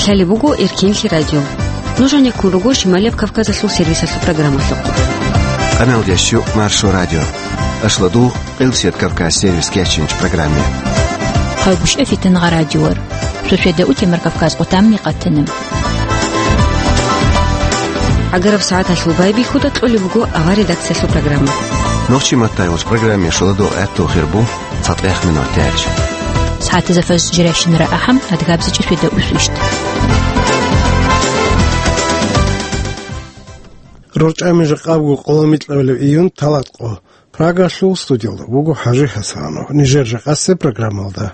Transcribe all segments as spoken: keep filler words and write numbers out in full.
Лъалеб буго Эркенлъи радио. Нуж гьанеккун руго Шималияб Кавказалъул сервисалъул программалъухъ. Къаналдящу Маршо радио. Ашладу Къилсият Кавказ сервис кечинч программе. Хъалгушев Фитангъа радиор. Суседа утемар Кавказ къутамни къатанам. ГӀагараб сагӀаталъул байбихьуда кьолеб буго авар редакциялъул программа. Нохчи маттай уж программе шуладу гӀатту хирбу. ЦатӀех минут тяч. СагӀатазда фаз жиращинара ахӀам, адгабзичӀи светда усвищ. РорчӀами жакъабго къоломикьабилеб июнь талат къо. Прагалъул студиялда вуго ХӀажи ХӀасанов. Нижер жакъасеб программалда.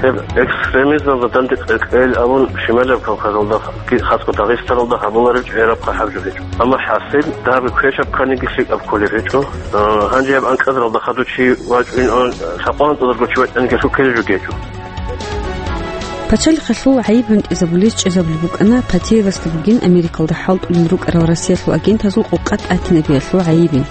Гьеб экстремизмалда данде кьекъел абун Шималаб Кавказалда, хасго Дагъистаналда гьабуларев чӀераб хъахӀаб жо гьечӀо. Амма хӀасил, дагьаб квешаб кканиги лъикӀаб кколеб гьечӀо. А, гьанже гьаб анкьазаралда хадув чи вачӀун, а, лъабкъоялда анкьазарго чи вачӀаниги лъуккелеб жо гьечӀо. Пачалихъалъул гӀайиб гӀунтӀизабулез чӀезабулеб букӀана Патеевасда бугин Америкалда хӀалтӀулел рукӀарал Россиялъул агентазул къокъа тӀатинабиялъул гӀайибин.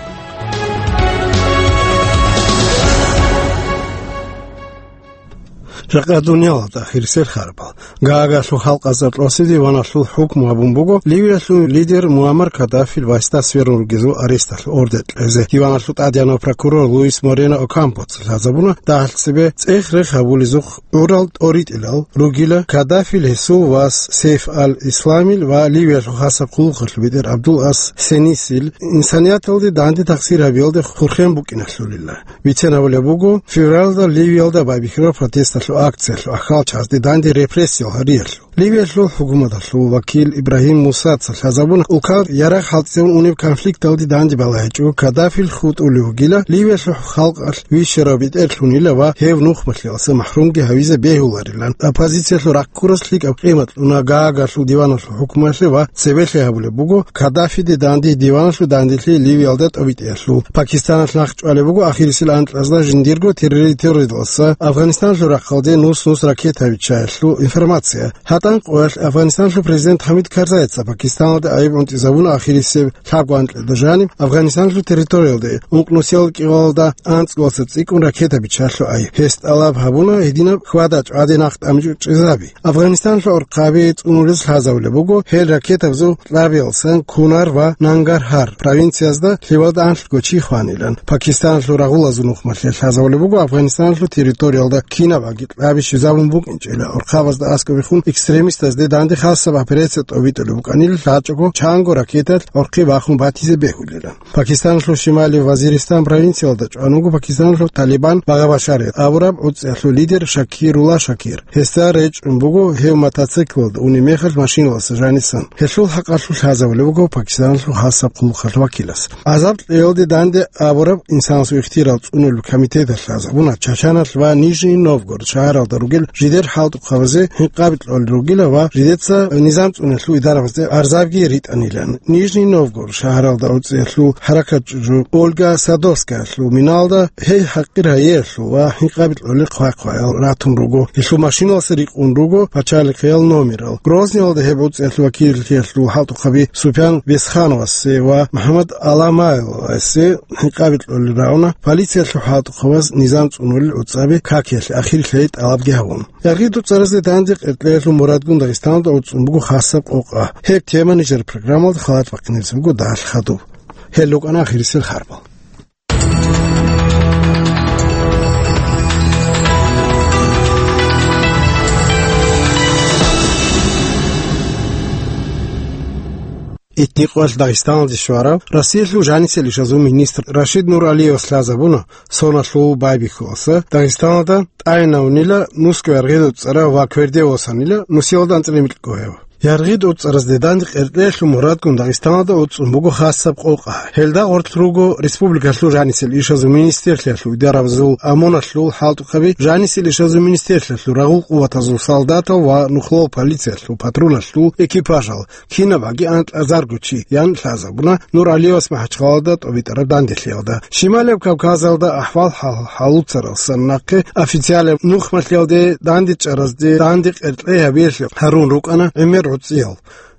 Жакъа дуниялалда ахирисел харбал. Гаагарлъул халкъазда кьосе диваналъул хӀукму гьабун буго Ливиялъул лидер Муаммар Каддафил васда сверун ругезул аресталъул ордер кьезе. Диваналъул тӀадегӀанав прокурор Луис Морено Окампоца лъазабуна дагьалъ цебе цӀех-рех гьабулезухъ гӀурал тӀоритӀилал ругила Каддафил, гьесул вас Сейф ал-Исламил ва Ливиялъул хасаб хъулухъалъул бетӀер Абдул ас Сенисил инсанияталде данде тахсир гьабиялде хурхен букӀиналъулила. Бицен гьабулеб буго, февралда Ливиялда байбихьараб протесталъул акциялъул ахьалчазде данде репрессиял гьариялъул. Ливиялъул хӀукуматалъул вакил Ибрагьим Мусаца лъазабуна, улкал ярагъ хӀалтӀизабун унеб конфликталде данде балагьичӀого Каддафил хутӀулев вугила, Ливиялъул халкъалъ вищарав бетӀерлъунила ва гьев нухмалъиялса махӀрумги гьавизе бегьуларилан. Оппозициялъул раккурас лъикӀаб къимат кьуна Гаагарлъул диваналъул хӀукмуялъе ва цебелъи гьабулеб буго Каддафиде данде диваналъул данделъи Ливиялда тӀобитӀиялъул. Пакистаналъ нахъ чӀвалеб буго ахирисел анкьазда жиндирго территориялдаса Афганистаналъул рахъалде нус-нус ракета биччаялъул информация. ГьатӀан къоялъ Афганистаналъул президент ХӀамид Карзайица Пакистаналде гӀайиб гӀунтӀизабуна ахирисеб лъабго анкьалда жаниб Афганистаналъул территориялде ункънусиялда кӀигъалда анцӀгоялдаса цӀикӀкӀун ракета биччаялъул гӀайиб. Гьес тӀалаб гьабуна гьединаб хьвада-чӀвади нахъ тӀамичӀо чӀезаби. Афганистаналъул архъаби цӀунулез лъазабулеб буго гьел ракетабазул кьабиялдасан Кунар ва Нангархар провинциязда лъивалда анлъго чи хванилан. Пакистаналъул рагъулазул нухмалъе лъазабулеб буго Афганистаналъул территориялда кинаб аги кьаби щвезабун букӀинчӀила, гӀурхъабазда аскӀобехун экстремистазде данде хасаб операция тӀобитӀулеб букӀанил лъачӀого чанго ракеталъ гӀурхъи бахун батизе бегьулилан. Пакистаналъул шималив Вазиристан провинциялда чӀван вуго Пакистаналъул Талибан багъа башарият абураб гӀуцӀиялъул лидер Шакирулла Шакир. Гьесда речӀчӀун буго гьев мотоциклалда унеб мехалъ машиналдаса жанисан. Гьелъул хӀакъалъулъ лъазабулеб буго Пакистаналъул хасаб хъулухъалъ вакилас. ГӀазаб кьеялде данде абураб инсанасул ихтияр цӀунулеб комитеталъ лъазабуна Чачаналъ ва Нижний Новгород шагьаралда ругел жидер хӀалтӀухъабазе гьинкъаби кьолел ругила ва жидеца низам цӀунулъул идарабазде арзабги ритӀанилан. Нижний Новгород шагьаралда гӀуцӀиялъул хӀаракатчӀужу Ольга Садовскаялъул миналда гьей хӀакъир гьаялъул ва гьинкъаби кьолел хъвай-хъваял ратун руго. Гьелъул машиналдаса рикъун руго пачалихъиял номерал. Грозныйалда гьеб гӀуцӀиялъул вакиллъиялъул хӀалтӀухъаби Супян Бесхановасе ва МухӀаммад Аламаевасе гьинкъаби кьолел рагӀуна полициялъул хӀалтӀухъабаз низам цӀунулел гӀуцӀаби какиялъе ахирлъи тӀалабги гьабун. Яргъи дуцӀаразде данде къеркьеялъул мурадгун Дагъистаналда гӀуцӀун буго хасаб къокъа. Гьеб тема нижер программалда халат бахъинабизе буго дагьалъ хадуб. Гьел рукӀана ахирисел харбал. Итникъоялъ Дагъистаналде щварав Россиялъул жанисел ишазул министр Рашид Нуралиевас лъазабуна, соналъул байбихьуласа Дагъистаналда тӀайнавнила нусго яргъида цӀара ва кверде восанила нусиялда анцӀила микьго гьев. Яргъи тӀоцӀаразде данде къеркьеялъул мурадгун Дагъистаналда уцӀцӀун буго хасаб къокъа. Гьелда гъорлъ руго республикалъул жанисел ишазул министрлъиялъул идарабазул амуналъул хӀалтӀухъаби, жанисел ишазул министрлъиялъул рагъул къуватазул солдатал ва нухлал полициялъул патруналъул экипажал, кинаб гӀаги анкьазарго чи, ян лъазабуна Нуралиевас МахӀачхъалада тӀобитӀараб данделъиялда. Щималаб Кавказалда ахӀвал-хӀал гьалуцаралсан нахъе официалаб нухмалъиялде дандечӀаразде данде къеркьей гьабиялъе гьарун рукӀана гӀемер гӀуцӀиял.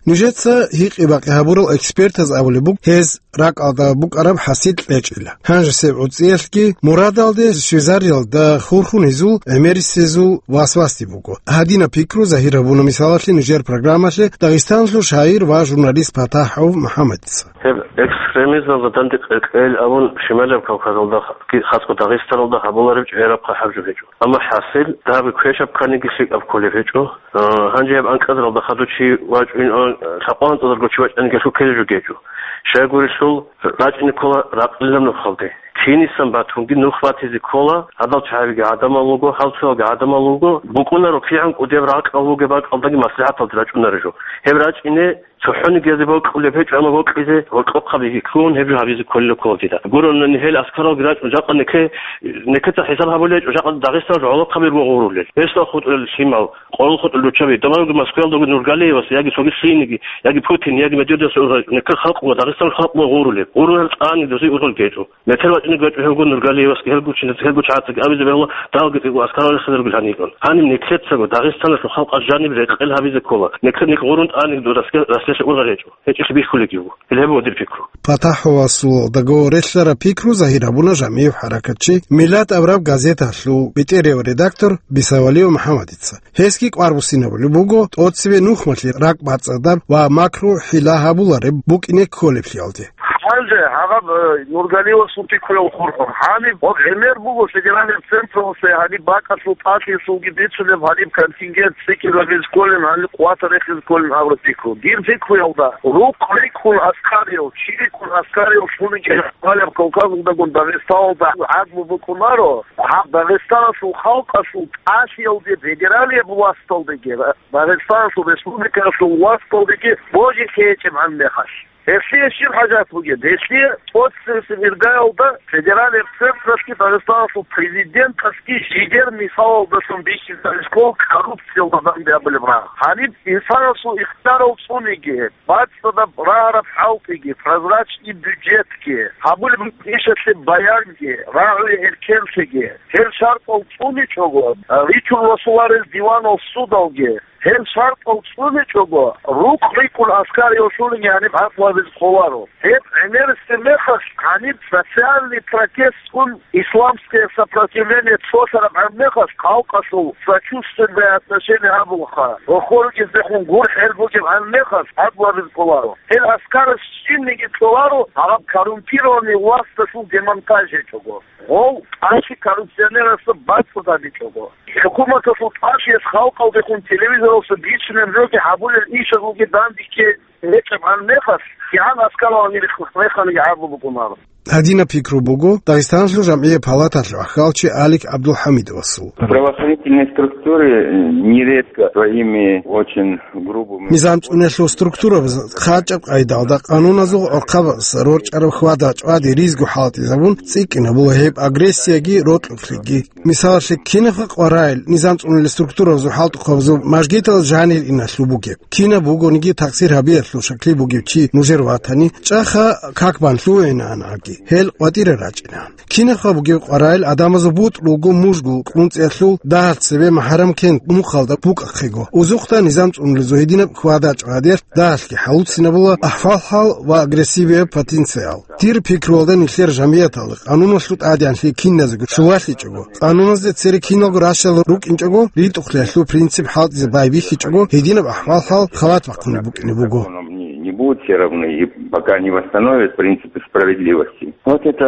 Нижеца гьикъи-бакъи гьабурал экспертаз абулеб буго, гьез ракӀалда букӀараб хӀасил кьечӀила. Гьанжесеб гӀуцӀиялъги мурадалде щвезариялда хурхун гьезул гӀемерисезул васвасде буго. Гьадинаб пикру загьир гьабуна мисалалъе нижер программалъе Дагъистаналъул шагьир ва журналист ПатахӀов МухӀаммадица. Гьеб экстремизмалда данде къеркьейил абун Шималаб Кавказалда, хасго Дагъистаналда гьабулареб чӀегӀераб хъахӀаб жо гьечӀо. Амма хӀасил, дагьабги квешаб кканиги лъикӀаб кколеб гьечӀо. А, гьанже гьеб анкьазаралда хадув чи вачӀун, а, лъакъо анцӀазарго чи вачӀаниги лъуккелеб жо гьечӀо. Щайгурелъул рачӀине ккола ракълилаб нухалде. Кинисан батунги нух батизе ккола, гьадал чагӀабиги гӀадамал руго, гьал цоялги гӀадамал руго, букӀунаро кигӀан кӀудеб ракӀал бугеб бакӀалдаги маслихӀаталде рачӀунаро жо. Гьеб рачӀине цохӀониги гьезде бокьулеб гьечӀо, амма бокьизе гьоркьохъаби ккун гьеб жо гьабизе кколел ккола дида. Гуронани гьел аскаралги рачӀун жакъа неке-, некеца хӀисаб гьабулел гьечӀо, жакъа Дагъистаналъ гӀолохъаби руго гъурулел. Гьесда хутӀулел лъимал, къолол хутӀулел руччаби, тӀамаги Москваялдаго Нургалиевас, яги цоги лъиениги, яги Путин, яги Медведевас ургъел, некер халкъ ва Дагъистаналъ халкъ ва гъурулеб. Гъурулел тӀани дозе ургъел гьечӀо. Метер вачӀине гьечӀо гьелго Нургалиевасги, гьелго чиназги, гьелго чагӀацаги абизе бегьула, далги цӀикӀкӀун аскарал рехсезаргил гьанилан. Гьаниб некецаго Дагъистаналъул халкъалъ жаниб рекъел гьабизе ккола. Некер-, некъ гъурун тӀани дуда расле-, раслелъа ургъел гьечӀо. ГьечӀелъи бихьулегиго. Гьел гьеб гьадир пикру. ПатахӀовасул договор релълъараб пикру загьир гьабуна жамигӀ хӀаракатчи, Миллат абураб газеталъул бетӀерияв редактор Бисавалиев МухӀаммадица. Гьесги кӀвар буссинабулеб буго, тӀоцебе нухмалъе ракӀбацӀцӀадаб ва макру-хӀила гьабулареб букӀине кколеблъиялде. Гьанже гьаб, э, Нургалиевасул пикруял хурхун. Гьаниб гьеб гӀемер буго федеральный централъе гьаниб бакӀалъул тӀалъиялъулги бицунеб гьаниб контингент цӀикӀкӀинабизе кколин, гьаниб къватӀа рехизе кколин абураб пикру. Дир пикруялда, рукъ рикӀкӀун аскариял, чи рикӀкӀун аскариял шуниги гьеб Кавказалдагун Дагъистаналда гӀадлу букӀунаро, гьаб Дагъистаналъул халкъалъул тӀалъиялде федералияб власталдеги, Дагъистаналъул республикалъул власталдеги божи лъечӀебгӀан мехалъ. Гьелъие щиб хӀажат бугеб? Гьелъие тӀоцебесеб иргаялда федералияб централъги Дагъистаналъул президенталъги жидер мисалалдалъун бихьизарищ ккол коррупциялда данде абулеб рагъ. Гьаниб инсанасул ихтиярал цӀуниги, бацӀцӀадаб рагьараб хӀалтӀиги, прозрачный бюджетги, гьабулеб ишалъе баянги, рагӀуе эркенлъиги, гьел шартӀал цӀуничӀого, ричун росуларел диванал судалги, гьел шартӀал цӀуничӀого, рукъ рикӀкӀун аскариял шуниги гьаниб гӀадлу гьабизе кколаро. Гьеб гӀемерисеб мехалъ гьаниб социальный протестгун, исламское сопротивление цолъарабгӀан мехалъ халкъалъул сочувственное отношение гьабулаха, рохоргиздехун гурхӀел бугебгӀан мехалъ гӀадлу гьабизе кколаро. Гьел аскарас щибниги кьоларо, гьаб коррумпированный власталъул демонтаж гьечӀого. Гъов тӀалъи коррупционерасда бацӀцӀад гьабичӀого, хӀукуматалъул тӀалъиялъ халкъалдехун телевизоралъа бицунеб жоги гьабулел ишазулги дандеги гьечӀебгӀан мехалъ, кигӀан аскаралъ гьанир реханиги гӀадлу букӀунаро. Гьадинаб пикру буго Дагъистаналъул жамгӀияб палаталъул ахьалчи Алик ГӀабдулхӀамидовасул. Правоохранительные структуры, э, нередко своими очень грубыми... НизамцӀуналъул структурабаз хъачӀаб къайдалда къануназул гӀорхъабаз рорчӀараб хьвада-чӀвади ризго хӀалтӀизабун цӀикӀкӀинабула гьеб агрессияги рокьукълъиги. Мисалалъе, кинабха къварайил низамцӀуналъул структурабазул хӀалтӀухъабазул мажгитал жанир иналъул бугеб? Кинаб бугониги такъсир гьабиялъул шаклъи бугев чи нужер ватани, чӀаха как бан лъугӀинаан гьабги, гьел къватӀире рачӀинаан. Кинабха бугеб къварайил адамазул бутӀрулго мужгу кьунцӀиялъул дагьалъ цебе МахӀарамкент мухъалда букӀахъего, узухъда низамцӀуналъул гьединаб хьвада-чӀвадиялъ дагьалъги хӀалуцинабула ахӀвал-хӀал ва агрессивияб потенциал. Дир пикруялда нилъер жамгӀияталда къануналъул тӀадегӀанлъи киназего щулалъичӀого, къануназде цере киналго ращалал рукӀинчӀого, ритӀухълъиялъул принцип хӀалтӀизе байбихьичӀого, гьединаб ахӀвал-хӀал халат бахъунеб букӀине буго. Будут все равны, и пока не восстановят принципы справедливости. Вот это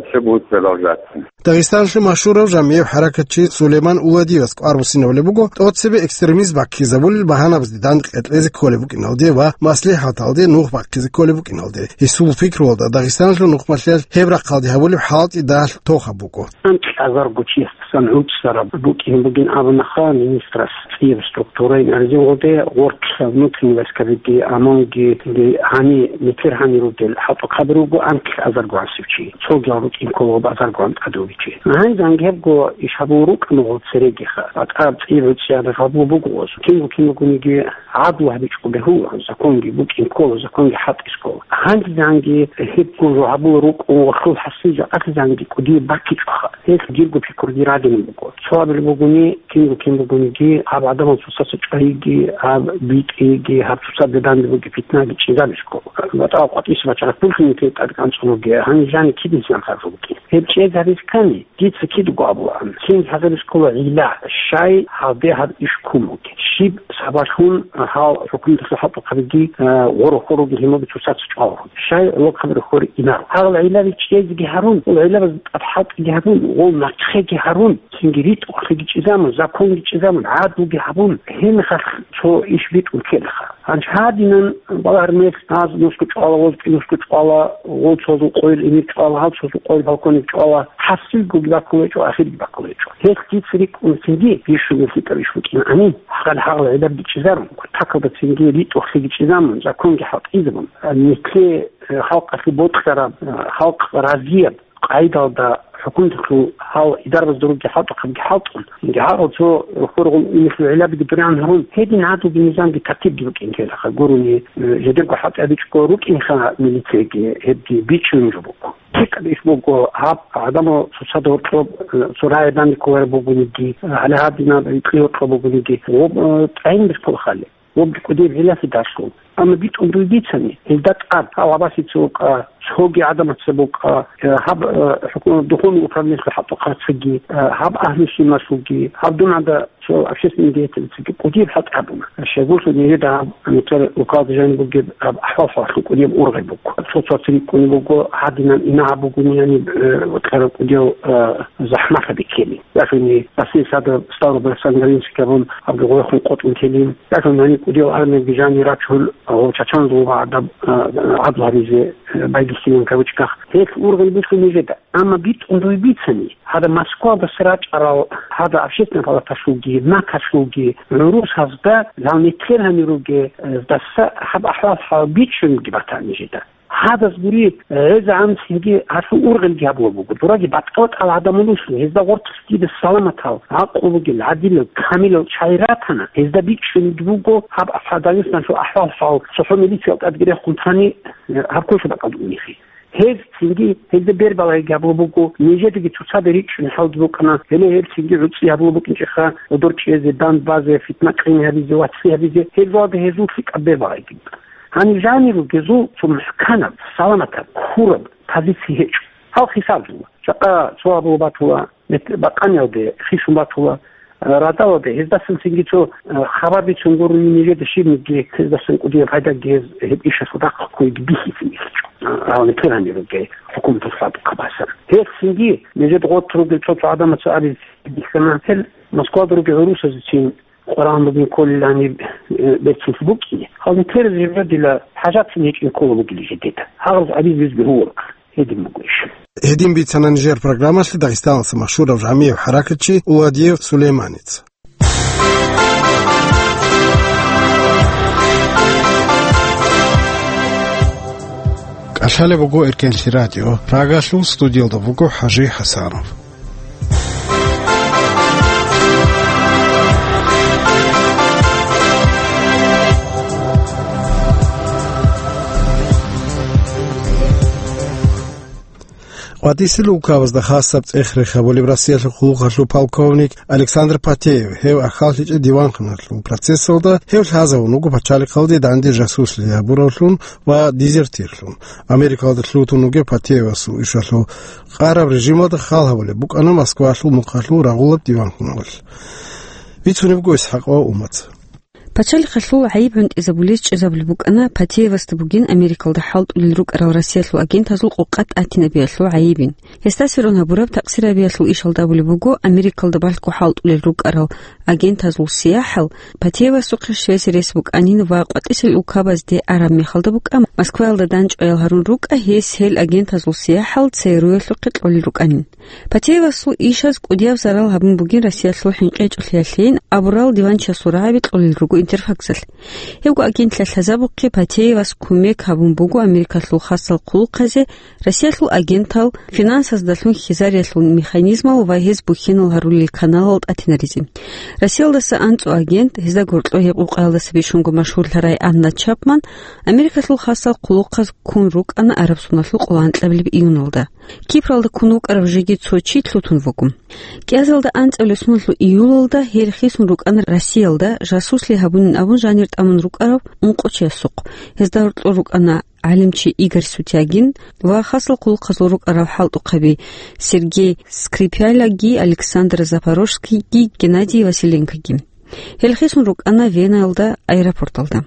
все будет продолжаться. Дагъистаналъул машгьурав жамигӀи хӀаракатчи Сулейман Уладиевас кӀвар буссинабулеб буго тӀоцебе экстремизм баккизабулел багьанабазде данде кьезе кколеб букӀиналде ва маслихӀаталде нух бахъизе кколеб букӀиналде. Гьесул пикруялда, Дагъистаналъул нухмалъиялъ гьеб рахъалде гьабулеб хӀалтӀи дагьалъ тохаб буго. Анкьазарго чиясдасан гӀуцӀараб букӀин бугин абунаха министрас цӀияб структураялъ гьаризин гъоде гъоркьа внутренний войскабиги, ОМОНги, гьани метер гьани ругел хӀалтӀухъаби руго анкьазарго гӀасив чи, цогиял рукӀин ккола базаргоан тӀадуги чи. Гьанже гьебго иш гьабул рукӀану гъол церегиха, батӀа цӀияб гӀуцӀияб гьабул буго гъоз. Кинго-кингониги гӀадлу гьабичӀого бегьула, законги букӀин ккола, законги хӀалтӀизе ккола. Гьанже гьебго жо гьабул рукӀун гъолъул хӀасил жакъасезанги кӀудияб баккичӀоха. Гьелъ дирго пикруги рагӀинаб буго. Цо абулеб бугони, кинго-кин бугониги, гьаб гӀадамал цоцаца чӀвайги, гьаб битӀиги, гьаб цоцазда данде бугеб питнаги чӀезабизе ккола. ВатӀа къватӀиса бачарат пулъинги тӀадкӀанцӀун бугеб, гьаниб жани кидасан харжу букӀин. Гьеб чӀезабизе ккани, дица кидаго абулаан. Цин лъазабизе ккола гӀилла, щай гьалде гьаб иш ккун бугеб. Щиб сабаблъун гьал хӀукуматалъул хӀалтӀухъабиги, э, гъоро-хъороги гьимаби цоцаца чӀваларо. Щай гӀолохъаби рохьоре инаро. Гьал гӀиллаби чӀезеги гьарун, гьал гӀиллабаз тӀад хӀалтӀиги гьабун, гъол нахъеги гьарун, цинги ритӀухълъиги чӀезамун, законги чӀезамун, гӀадлуги гьабун, гьенахъ цо иш битӀун ккелаха. Гьанже гьадинан балагьармелъ гьаз нусго чӀвала, гъоз кӀи нусго чӀвала, гъол цозул къойил эмир чӀвала, гьал цозул къойил полковник чӀвала, хӀасилгоги баккулечӀо, ахирги баккулечӀо. Гьелъ дица рикӀкӀун цинги бищунго лъикӀаб иш букӀинани, гьал гӀиллаби чӀезарун, такалда цинги ритӀухълъиги чӀезамун, законги хӀалтӀизабун, нилъее, э, халкъалъе бокьараб, э, халкъ разияб къайдалда хӀукуматалъул гьал идарабазда ругел хӀалтӀухъабиги хӀалтӀун, цинги гьал цо хургъун инихьул гӀиллабиги дуригӀан гьарун, гьедин гӀадлуги низамги тартибги букӀин ккелаха гурони, э, жидерго хӀалтӀи гьабичӀого рукӀинха милицияги, гьебги бичӀчӀулеб жо буго. ЛъикӀаб иш буго, гьаб гӀадамал цоцазда гьоркьоб, э, цо рагӀи данде кколареб бугониги, э, гьале гьадинаб гьоркьоб бугониги, гъоб, э, тӀагӀинабизе ккола хали. Гъоб кӀудияб гӀиллалъидалъун. Амма битӀун дуе бицани, гьелда тӀад гьав гьабасе цо вукӀа, цоги гӀадамаца букӀа, э, гьаб, э, хӀукумат, духовный управлениялъул хӀалтӀухъацаги, э, гьаб агьлу-сунналъулги, гьаб дун гьада цо общественный деятельностьги кӀудияб хӀалтӀи гьабуна. Щайгурелъул нижеда гьаб метер рукалда жаниб бугеб гьаб ахӀвал-хӀалалъул кӀудияб ургъел буго. Цо-цоцаца рикӀкӀунеб буго гьадинан инагьаб бугони, гьаниб, э, кьера кӀудиял, э, захӀматаби ккелин. Яшуни Россияс гьадаб Ставрополь-Александровскиялъ гьабун, гьабги гъорехун къотӀун телин. Яшуни гьаниб кӀудиял армиябги жани рачун, гъов чачанзул ва гӀадаб, а, гӀадлу гьабизе, а, байдулъилин кавычках. Гьелъ ургъел буго нижеда. Амма битӀун дуе бицани, гьадаб Москвадаса рачӀарал, гьадаб Общественный палаталъулги, НАКалъулги гӀурусазда, гьал метер гьанир ругездаса гьаб ахӀвал-хӀал бичӀчӀунги батани нижеда. Гьадаз гури, гӀезегӀан цинги гьалъул ургъелги гьабулеб буго. Дураги батӀа-батӀал гӀадамал руслъи, гьезда гъоркьлъи дида саламатал, гӀакълу бугел, гӀадилал, камилал чагӀи ратана, гьезда бичӀчӀунги буго гьаб Дагъистаналъул ахӀвал-хӀал, цохӀо милициялда тӀадги рехун тани, гьаб квешаб бакӀалда унехи. Гьез цинги гьезда бербалаги гьабулеб буго, нижедаги цоцазда ричӀчӀунеб хӀалги букӀана, гьеле гьеб цинги гӀуцӀи гьабулеб букӀинчӀеха, гьодор чӀезе, дандбазе, фитна-къин гьабизе, вацлъи гьабизе, гьеб жоялда гьезул лъикӀаб бербалаги букӀана. Гьаниб жанир ругезул цо мухӀканаб, саламатаб, ккураб позици гьечӀо. Гьал хисаб жула. Жакъа цо абулеб батула, мет-, бакъаниялде хисун батула, а, радалалде, гьездасан цинги цо, а, хабар бицун гурони нижеда щибниги, гьездасан кӀудияб пайдаги гьез гьеб ишалъул рахъ ккойги бихьизабизе гьечӀо. А, гьал метер гьанир ругел хӀукуматалъул хӀалтӀухъабазда. Гьеб цинги нижеда гъоркь ругел цо-цо гӀадамаца абизе бихьана, гьел Москвада ругел гӀурусазецин къваригӀун бугин кколилан гьеб, э, берцинлъи букӀине. Гьал метер жибра дила хӀажатцин гьечӀин ккола бугила жидеда. Гьагъаз гьабизе бегьуларо. Гьедин буго иш. Гьедин бицана нижер программалъе Дагъистаналъул машгьурав жамигӀи хӀаракатчи Уладиев Сулейманица. КӀалъалеб буго Эркенлъи радио. Прагалъул студиялда вуго ХӀажи ХӀасанов. КъватӀисел улкабазда хасаб цӀех рехабулеб Россиялъул хъулухъалъул полковник Александр Патеев, гьев ахьаллъичӀеб диванхъналъул процессалда, гьев лъазавун вуго пачалихъалде данде жасуслъи гьабуравлъун ва дезертирлъун. Америкалда лъутун вугев Патеевасул ишалъул къараб режималда хал гьабулеб букӀана Москвалъул мухъалъул рагъулаб диванхъналъ. Бицунеб буго ИсхӀакъов Умаца. Пачалихъалъул гӀайиб гӀунтӀизабулез чӀезабулеб букӀана Патеевасда бугин Америкалда хӀалтӀулел рукӀарал Россиялъул агентазул къокъа тӀатинабиялъул гӀайибин. Гьесда сверун гьабураб такъсирабиялъул ишалда абулеб буго, Америкалда балъго хӀалтӀулел рукӀарал агентазул сияхӀал Патеевасухъе щвезе рес букӀанин ва къватӀисел улкабазде араб мехалда букӀа, Москваялда дандчӀваял гьарун рукӀа, гьес гьел агентазул сияхӀал ЦРУ-ялъухъе кьолел рукӀанин. Патеевасул ишаз кӀудияб зарал гьабун бугин Россиялъул хӀинкъи гьечӀолъиялъейин абурал диванчиясул рагӀаби кьолел руго Интерфаксалъ. Гьебго агентлъиялъ лъазабухъе Патеевас кумек гьабун буго Америкалъул хасал хъулухъазе, Россиялъул агентал, финансаздалъун хьизариялъул механизмал ва гьез бухьинал гьарулел каналал тӀатинаризе. Россиялдаса анцӀу агент, гьезда гьоркьо гьеб къукъаялдаса бищунго машгьурлъарай Анна Чапман, Америкалъул хасал хъулухъаз ккун рукӀана араб соналъул къоло анкьабилеб июналда. Кипралда ккун вукӀарав жеги цо чи лъутун вуго. КӀиазалда анцӀабилеб соналъул июлалда гьел хисун рукӀана Россиялда, жасуслъи гьабунин абун жанир тӀамун рукӀарав ункъо чиясухъ. Гьезда гьоркьор рукӀана гӀалимчи Игорь Сутягин ва хасал хъулухъазул рукӀарал хӀалтӀухъаби Сергей Скрипялаги, Александр Запорожскийги, Геннадий Василенкоги. Гьел хисун рукӀана Венаялда аэропорталда.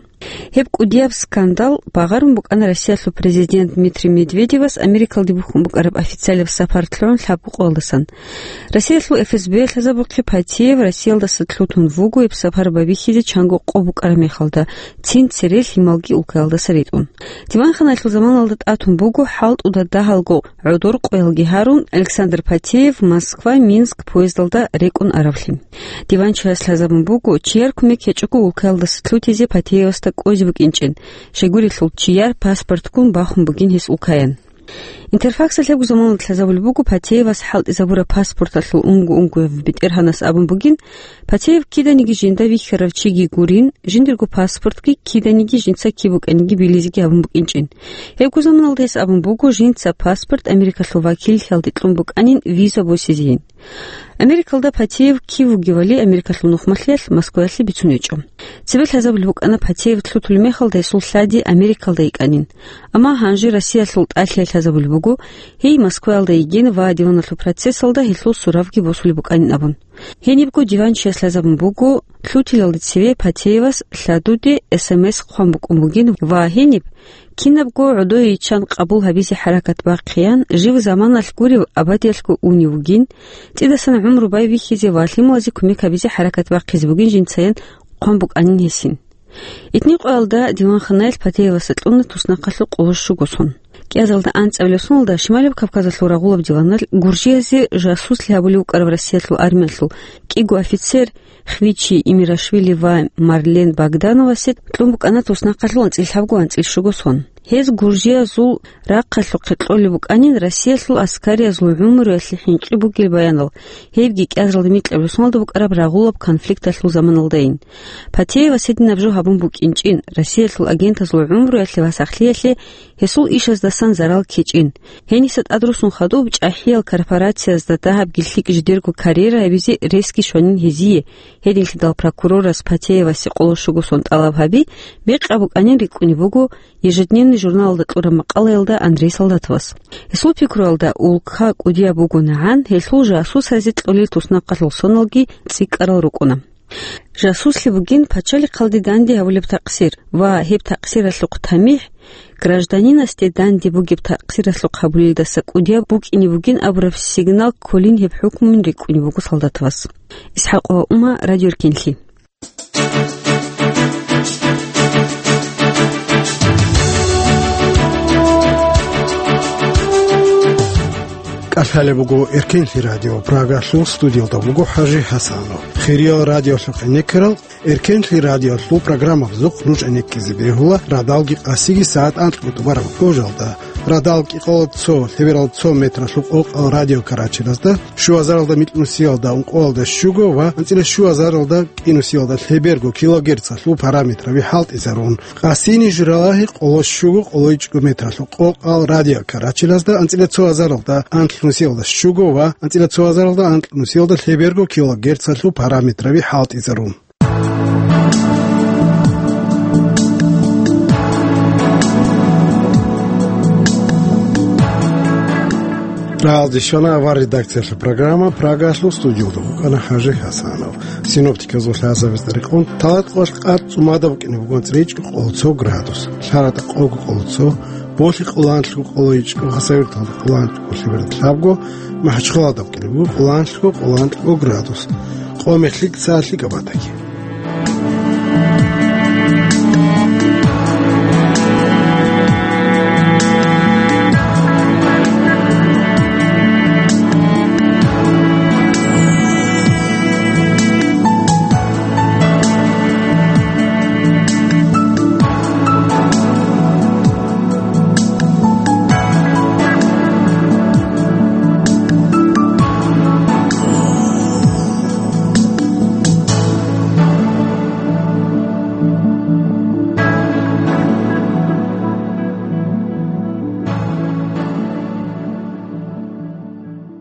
Гьеб кӀудияб скандал багъарун букӀана Россиялъул президент Дмитрий Медведевас Америкалде бухьун букӀараб официалаб сапар лъугӀун лъабго къоялдасан. Россиялъул ФСБ лъазабухъе Патеев Россиялдаса лъутун вуго гьеб сапар бабихьизе чанго къо букӀараб мехалда, цин цере лъималги улкаялдаса ритӀун. Диванханаялъул заманалда тӀатун буго хӀалтӀуда дагьалго гӀодор къоялги гьарун, Александр Патеев Москва-Минск поездалда рекӀун аравлъи. Диванчияс лъазабун буго, чияр кумек гьечӀого улкаялдаса лъутизе Патеевасда кӀвезе букӀинчӀин, щайгурелъул чияр паспортгун бахун бугин гьес улкаян. Интерфаксалъ гьебго заманалда лъазабулеб буго Патеевас хӀалтӀизабураб паспорталъул унго-унгояв бетӀергьанас абун бугин, Патеев киданиги жинда вихьарав чиги гурин, жиндирго паспортги киданиги жинца киб букӀаниги билизеги гьабун букӀинчӀин. Гьебго заманалда гьес абун буго, жинца паспорт Америкалъул вакиллъиялде кьун букӀанин виза босизейин. Америкалда Патеев кив вугевали Америкалъул нухмалъиялъ Москваялъе бицун гьечӀо. Цебе лъазабулеб букӀана Патеев лъутулеб мехалда гьесул лъади Америкалда йикӀанин. Амма гьанже Россиялъул тӀалъиялъ лъазабулеб буго, гьей Москваялда йигин ва диваналъул процессалда гьелъул суравги босулеб букӀанин абун. Гьенибго диванчияс лъазабун буго, лъутилалде цеве Патеевас лъадуде СМС хъван букӀун бугин ва гьениб, кинабго гӀодое йиччан къабул гьабизе хӀаракат бахъеян, жив заманалъ гурев абадиялъго унев вугин, цӀидасан гӀумру байбихьизе ва лъималазе кумек гьабизе хӀаракат бахъизе бугин жинцаян хъван букӀанин гьесин. Итни къоялда диванханаялъ Патеевасда кьуна туснахъалъул къоло щуго сон. КӀиазалда анцӀабилеб соналда Шималаб Кавказалъул рагъулаб диваналъ Гуржиязе жасуслъи гьабулев вукӀарав Россиялъул армиялъул кӀиго офицер Хвичи Имирашвили ва Марлен Богдановасе кьун букӀана туснахъалъул анцӀил лъабго-анцӀил щуго сон. Гьез гуржиязул рахъалъухъе кьолеб букӀанин Россиялъул аскариязул гӀумруялъе хӀинкъи бугел баянал, гьебги кӀиазалда микьабилеб соналда букӀараб рагъулаб конфликталъул заманалдайин. Патеевас гьединаб жо гьабун букӀинчӀин, Россиялъул агентазул гӀумруялъе ва сахлъиялъе гьесул ишаздасан зарал ккечӀин. Гьениса тӀадрусун хадуб чӀахӀиял корпорациязда дагьабги лъикӀ жидерго карьера гьабизе ресги щванин гьезие, гьединлъидал прокурорас Патеевасе къоло щуго сон тӀалаб гьаби, бекъаб букӀанин рикӀкӀунеб буго «Ежедневный» журналалда кьураб макъалаялда Андрей Солдатовас. Гьесул пикруялда, улка кӀудияб бугонагӀан гьелъул жасусазе кьолел туснахъалъул соналги цӀикӀкӀарал рукӀуна. Жасуслъи бугин пачалихъалде данде гьабулеб такъсир ва гьеб такъсиралъухъ тамихӀ, гражданинасде данде бугеб такъсиралъухъ гьабулелдаса кӀудияб букӀине бугин абураб сигнал кколин гьеб хӀукмуян рикӀкӀунеб буго Солдатовас. ИсхӀакъова Ума, Радио Эркенлъи. КӀалъалеб буго Эркенлъи радио, Прагалъул студиялда вуго ХӀажи ХӀасанов. Хириял радиолъухъ гӀенеккарал, Эркенлъи радиолъул программабазухъ нуж гӀенеккизе бегьула радалги къасиги сагӀат анкьго тӀубараб гожалда. Радал кӀикъоялда цо, лъебералда цо метралъул къокъал радиокарачелазда, щуазаралда микьнусиялда ункъоялда щуго ва анцӀила щуазаралда кӀинусиялда лъеберго килогерцалъул параметраби хӀалтӀизарун. Къасини журалагьи къоло щуго къоло ичӀго метралъул къокъал радиокарачелазда анцӀила цоазаралда анкьнусиялда щуго ва анцӀила цоазаралда анкьнусиялда лъеберго килогерцалъул параметраби хӀалтӀизарун. Рагьалде щвана авар редакциялъул программа, Прагаялъул студиялда вукӀана ХӀажи ХӀасанов. Синоптиказул лъазабиз рекъон, Талакъоялъ къад цӀумадаб букӀине бугоцӀи ричӀго къоло цо градус, ЛъаратӀа къого къоло цо, Болъи къоланлъго къоло ичӀго, Хасавюрталда къоланлъго лъеберда лъабго, МахӀачхъалада букӀине буго къоланлъго къоланлъго градус, къо-мехлъи цалъи кабатаги.